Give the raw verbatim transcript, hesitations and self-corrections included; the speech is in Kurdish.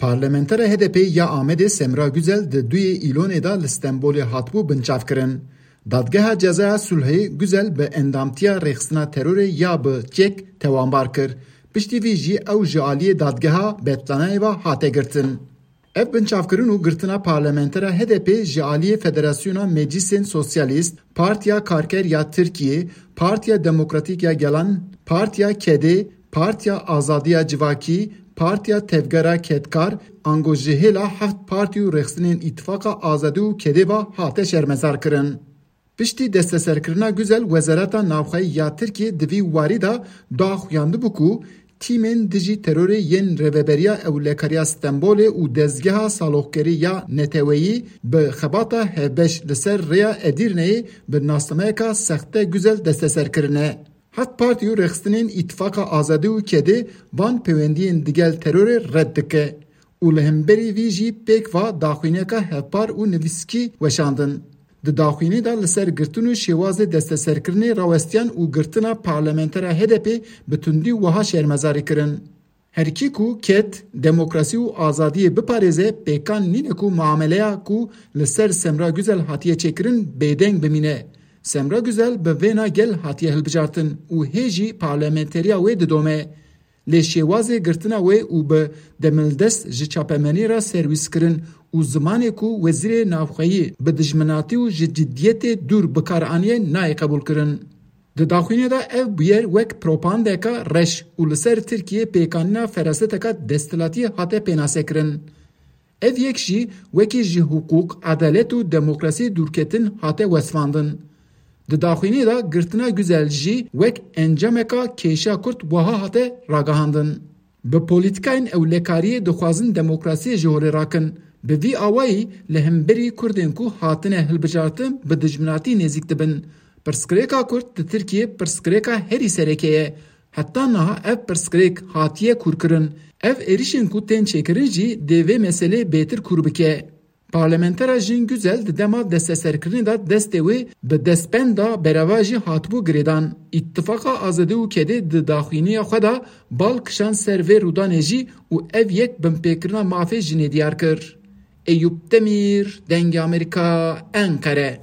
Parlamentera H D P ya Amedê Semra Güzel di duyê Îlonê de li Stenbolê hatibû binçavkirin. Dadgeha Cezaya Sulhê Güzel bi endamtiya rêxistina terorê ya bi çek tewanbar kir. Piştî vî jî ew ji aliyê dadgeha Betlanayê ve hate girtin. Ev binçavkirin û girtina parlamentera H D P ji aliyê Federasyona Meclisên Sosyalîst, Partiya Karker ya Tirkiyê, Partiya Demokratîk ya Gelan, Partiya Kedê, Partiya Azadiya Civakî, Partiya Tevgera Kedkar, ango ji hêla heft partî û rêxistinên Îtifaqa Azadî û Kedê ve hate şermezarkirin. Piştî desteserkirina Güzel, Wezareta Navxweyî ya Tirkiyê di vî warî de daxuyandibû ku tîmên dijî terorê yên Rêveberiya Ewlekariya Stenbolê û Dezgeha Saloxgerî ya Neteweyî bi xebata hevbeş li ser rêya Edîrneyê bi nasnameyeka sexte Güzel desteser kirine. Heft partî û rêxistinên Îtifaqa Azadî û Kedê van pêwendiyên digel terorê red dike û li hemberî vî jî pêk va daxuyaniyeka hevpar û nivîskî weşandin. Di daxuyanî de li ser girtin û şêwazê desteserkirinê rawestiyan û girtina parlamentera H D P bi tundî wiha şermezarî kirin: Her kî ku ked, demokrasî û azadiyê biparêze, pêkan nîne ku muameleya ku li ser Semra Güzel hatiye çêkirin bêdeng bimîne. Semra Güzel bi vêna gel hatiye hilbijartin û hê jî parlamenteriya wê didome. Lê şêwazê girtina wê û bi demildest ji çapemenî re serwîskirin û zimanê ku Wezîrê Navxweyî bi dijminatî û ji cidiyetê dûr bi kar aniye nayê qebûlkirin. Di daxuyaniyê de ev bûyer wek propagandeka reş û li ser Tirkiyê pêkanîna feraseteka desthilatiyê hate pênasekirin. Ev yek jî wekî ji hiqûq, edalet û demokrasiyê dûrketin hate wesfandin. Di daxuyaniyê de girtina Güzel jî wek encameka kêşa Kurd wiha hate ragihandin: Bi polîtîkayên ewlekariyê dixwazin demokrasiyê ji holê rakin. Bi vî awayî li hemberî Kurdên ku hatine hilbijartin bi dijminatî nêzîk dibin. Pirsgirêka Kurd di Tirkiyê pirsgirêka herî sereke ye. Heta niha ev pirsgirêk hatiye kûrkirin. Ev êrişên ku tên çêkirin jî dê vê meselê bêtir kûr bike. Parlamentera Jin Güzel di dema desteserkirinê de destê wê bi destbenda bereva jî hatibû girêdan. Îtifaqa Azadî û Kedê di daxuyaniya xwe de bal kişand ser vê rûdanê jî û ev yek binpêkirina mafê jinê diyar kir. Eyûp Demîr, Dengê Amerîka, Enqere.